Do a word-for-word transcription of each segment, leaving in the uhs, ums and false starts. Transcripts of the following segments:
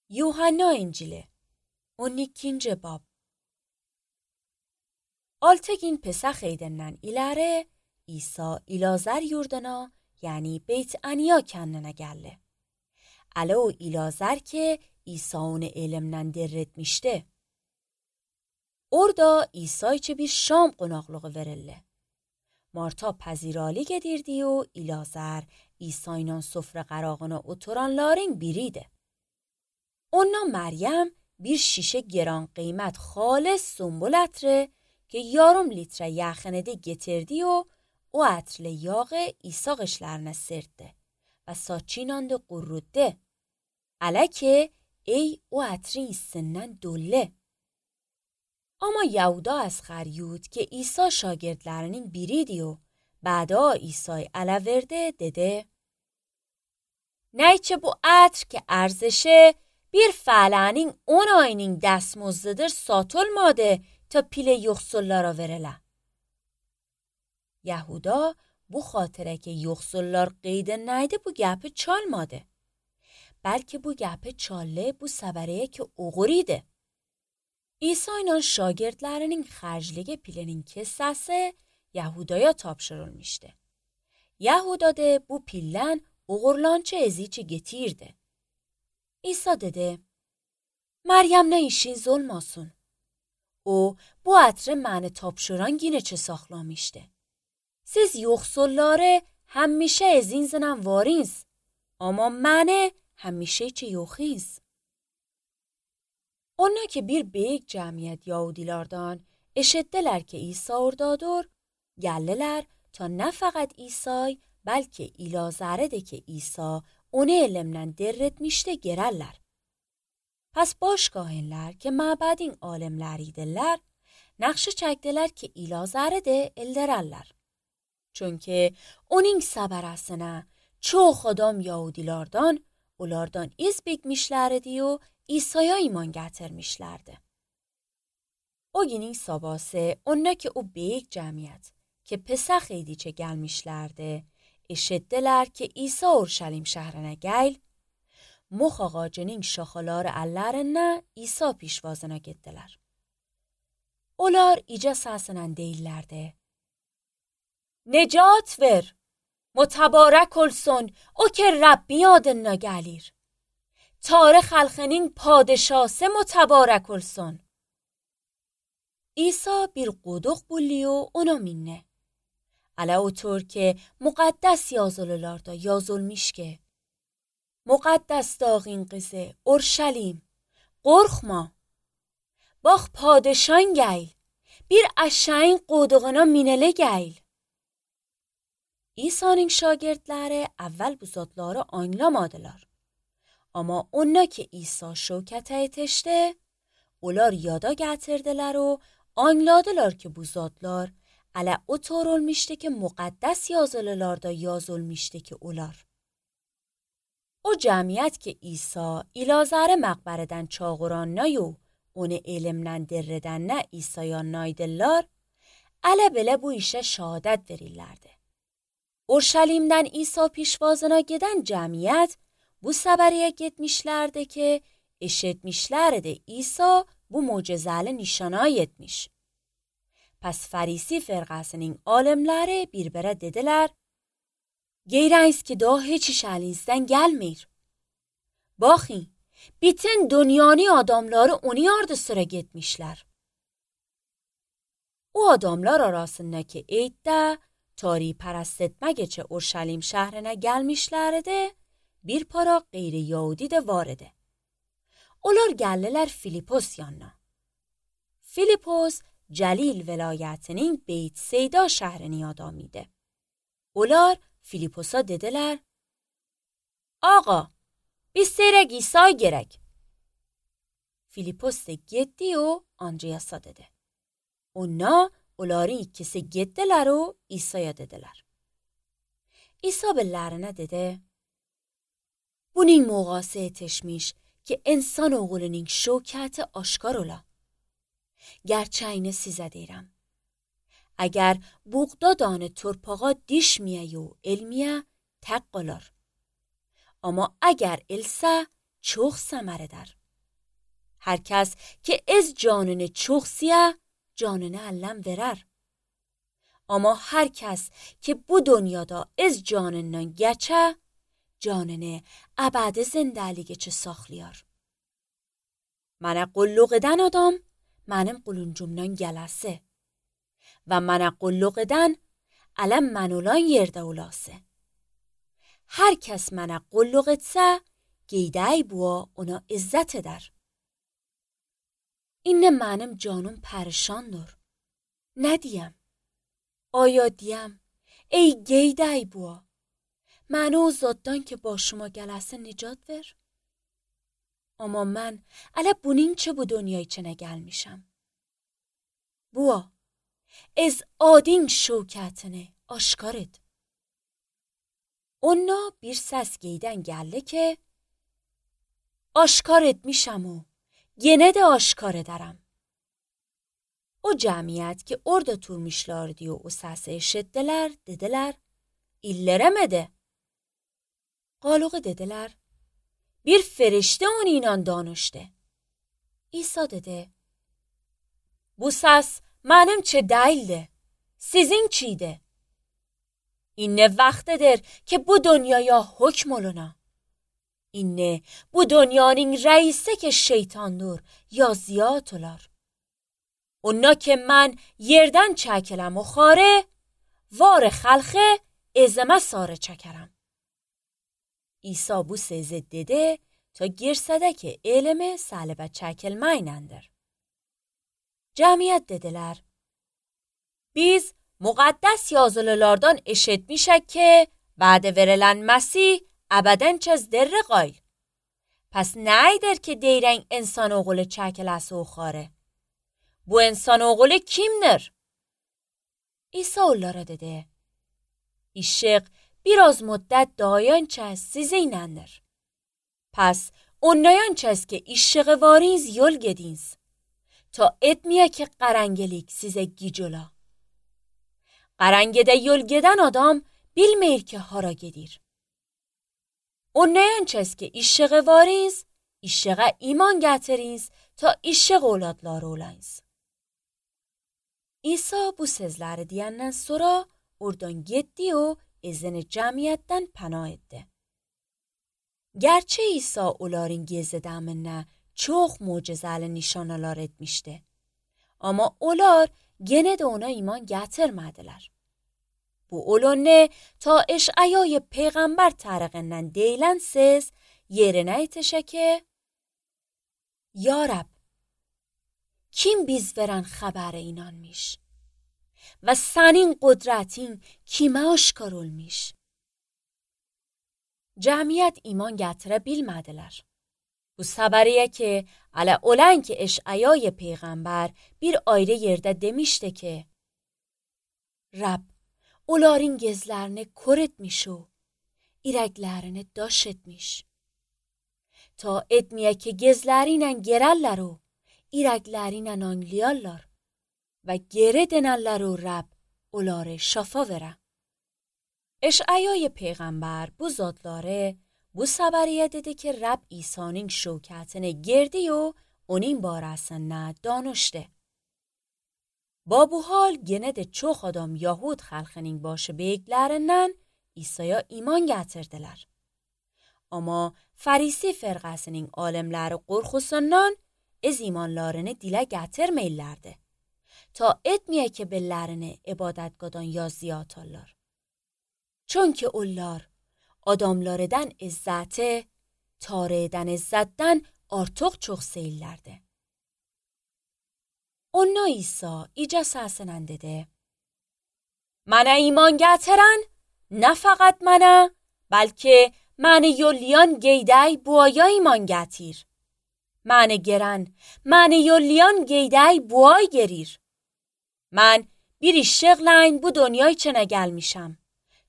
Yuhanna İncili on ikinci bab. Altı gün Pesach eydenden ileri İsa İlazer yurduna yani Beyt Aniya kendine geldi. Ala o İlazer ki İsa onu elimden derretmişti. Orada İsa için bir şam qonaqlığı verildi. Marta pezirali gedirdi و İlazer İsa'yla sofra qarağına oturanların biriydi. Ona Meryem bir şişe گران قیمت خالص سنبل عطر که yarım litre yaxınede getirdi و o عطر yağı İsa qışlarına sertti ve saçıyla qurruttu. Ala ki ey o عطرین سنن دوله. Ama Yahuda az خریود که İsa şagirdlerinin biriydi و بعدا İsa'yı ala verdi dedi. Neyçe bu عطر که ارزشه bir fələnin on ayının dəstmozdadır satılmadı ta pile yoxsullara verilə. Yahuda bu xatirə ki yoxsullar qeydə nəydi bu gəpi çalmadı. Bəlkə bu gəpi çallı bu səbəriyə ki uğuriydi. İsa ilə şagirdlərinin xərcliği pilenin kessəsi Yahudaya tapşırılmışdı. Yahuda da bu pillen uğurlançı ezici getirdi. İsa dedi, Meryem ne işiniz olmasın. O bu عطر məni tapşıran yine çe saxlamışdı. Siz yoxsulları həmişə ezinzlə varins, ama məni həmişə çe yoxins. Ona ki bir büyük cəmiyyət Yahudilərdən eşitdilər ki İsa oradadır, gəldilər ta nə fəqət İsa'y, bəlkə İlazərə də ki İsa onu elimden derretmişti gererler. Pes başkahinler ki mabedin alimleriydiler, nakşı çektiler ki İlazer'e de eldererler. Çünkü onun səbərəsinə çox adam Yahudilardan, onlardan iz bekmişlerdi و İsa'ya iman getirmişlerdi. O günün sabahı onlar ki o büyük cemiyet ki Pesach ediçe gelmişlerdi, eşitdiler ki İsa Urşalim şəhrinə gəl, Mox ağacının şaxaları əllərindən İsa pişvazına getdilər. Onlar icə səsinə deyirlərdi. Necat ver, mutabarək olsun o ki Rabbin adına gəlir. Tarix xalqının padişası mutabarək olsun. İsa bir quduq bulli و ona minne. Ala otur ki muqaddas yazılılarda yazılmış ki Muqaddas dağın qızı Urşalim, qorxma. Bax padişan gəl, bir aşağın quduğuna minələ gəl. İsa'nın şagirdləri əvvəl bu zatları anlamadılar. Amma ona ki İsa şövkətə yetişdi, onlar yada gətirdilər و anladılar ki bu zatlar Ala otur olmuştu ki muqaddas yazılılarda yazılmıştı ki onlar. O cemiyet ki İsa İlazer'e məqbərədən çağıran nayو onu elimden derreden ne İsa'ya naydılar, ala belə bu işe şahadət verirlerdi. Urşalim'den İsa pişvazına giden cemiyet bu səbəriyə getmişlerdi ki eşitmişlerdi İsa bu mucizəli nişana yetmiş. Pes Farisi firqasının alimləri bir-birə dedilər, Geyreyiz ki daha heç iş əlinizdən gəlmir. Baxın, bütün dünyanın adamları onu yardı sıra getmişlər. O adamlar arasındaki eyddə tari pərəst etmək üçün Urşalim şəhrinə gəlmişlərdi, bir para qeyri-Yahudi də var idi. Onlar gəldilər Filipos yanına. Filipos Cəlil velayətinin Beyt Seyda şəhrini adamıydı. Onlar Filiposa dediler, Ağa, biz seyrək İsa gerek. Filipos da getdi o Andriyasa dedi. Ona onların ikisi getdiler o İsa'ya dediler. İsa bellərinə dedi, Bunun muğası etişmiş ki insan oğlunun şövkəti aşkar ola. Gerçeğini sizə deyirəm. Əgər buğda danı torpağa dişməyə و elməyə tək qalar. Amma əgər elsə, çok samare der. Herkes ki ez canını çok siye, canını ellem verer. Ama herkes ki bu dünyada ez canından geçe, canını ebedi zindeliğe saxlayar. Mənə qulluq edən adam mənim quluncumdan gələsi və mənə qulluq edən ələm mən olan yerdə olası. Hər kəs mənə qulluq etsə, qeydəy bua ona izzət edər. İnne mənim canım pərişandır. Nə deyəm? Aya deyəm, ey qeydəy bua, mənə o zaddan ki başıma gələsi nicat ver. Ama mən ələ bunun çə bu dünyaya çənə gəlmişəm. Bua, ez adin şövkətini aşkar et. Ona bir səs geydən gəldi ki, aşkar etmişəm o, yenə də aşkar edərəm. O cəmiyyət ki orada turmuşlardı o səsi eşitdilər, dedilər, illərəmədi. Qalığı dedilər, bir فرشته اون اینان دانشته. İsa dedi, bu ses mənim çə deyildi, sizin çiydi. İnne vaxtıdır ki bu dünyaya hükm oluna. İnne bu dünyanın reisi ki şeytandır ya ziyat olar. Ona ki mən yerdən çəkiləm o xare, var xalqı ezmə sarı çəkərəm. İsa bu sözü dedi ta girsədəki elmi səlibə çəkilməyinəndir. Cəmiyyət dedilər, biz müqəddəs yazılılardan eşitmişək ki, vədə verilən Məsih əbədən çəz derri qayl. Pəs nəydir ki deyirən insan oğulu çəkiləsi o xare? Bu insan oğulu kimdir? İsa onlara dedi, işıq biraz müddət dayan çəz sizinləndir. Pəs onlayan çəz ki işığı variniz yol gediniz, ta etməyə ki qarangelik sizə gic ola. Qarangedə yol gedən adam bilməyir ki hara gedir. Onlayan çəz ki işığı variniz, işığa iman gətiriniz ta işıq oladları olayınız. İsa bu sözləri deyəndən sonra oradan getdi o izin cəmiyyətdən pənah etdi. Gerçi İsa onların gezidəminə çox mucizəli nişanalar etmişdi. Amma onlar genə də ona iman gətirmədilər. Bu olanı ta eş'əyای peyğəmbər tərəqindən deyilən söz yerinə yetişə ki, Ya Rab, kim biz verən xəbəri inanmış? Və sənin qudrətin kimə aşkar olmuş? Cəmiyyət iman gətirə bilmədilər. Bu səbəriyə ki, ələ olan ki eş'əyay peyğəmbər bir ayrı yerdə demişdi ki, Rab, onların gözlərini kör etmiş o, irəklərini daş etmiş. Ta etməyə ki gözləri ilə gerərlər o, irəkləri ilə anlayarlar. Və geri denənlər o Rab, onları şafa verə. eş'əyay peyğəmbər bu zadları bu səbəriyə dedi ki Rab İsa'nın şövkətini girdi o onun barəsində danışdı. Ba bu hal yenə də çox adam Yahud xalqının başı beyiklərindən İsa'ya iman gətirdilər. Amma Farisi fərqəsinin alimləri qorxusundan ez imanlarını dilə gətirməyirlərdi. Ta etməyə ki bellərini ibadətqadan ya ziyatarlar. Çünki onlar adamlardan izzəti, tarihdən izzətdən artıq çox seyirlərdi. Ona İsa icə səsinə dedi, Mənə iman gətirən, nə fəqət mənə, bəlkə məni yollayan qeydəy buaya iman gətir. Məni gerən, məni yollayan qeydəy buay gerir. Mən bir işıqla bu dünyaya çənə gəlmişəm.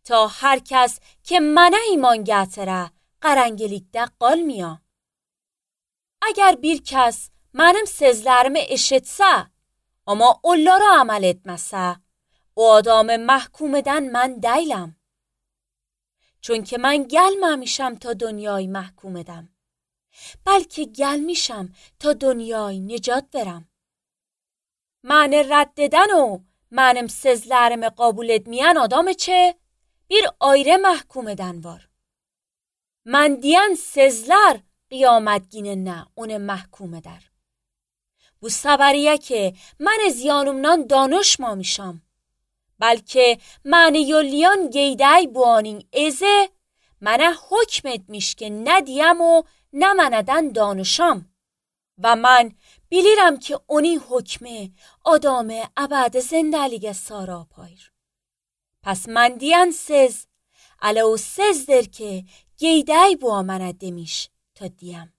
Ta hər kəs ki mənə iman gətirə, qarangilikdə qalmaya. Əgər bir kəs mənim sözlərimi eşitsə, amma onlara əməl etməsə, o adamı məhkum edən mən deyiləm. Çünki mən gəlməmişəm ta dünyayı məhkum edəm. بلکه gelmişem تا dünyayı نجات verem. Məni rədd edən o, mənim sözlərimi qəbul etməyən adam çe bir ayrı məhkum edən var. Mən deyən sözlər qiyamət günündə onu məhkum edər. Bu səbəriyə ki, mən ziyanımdan danışmamışam. Bəlkə məni yollayan geydəy bu anın ezi mənə hükm etmiş ki, nə deyəm o, nə mənədən danışam. Və mən bilirəm ki, onun hükmü adamı əbədi zindəliyə sarapayır. Pəs mən deyən söz, ələ o sözdür ki, geydəy bu mənə demiş ta deyəm.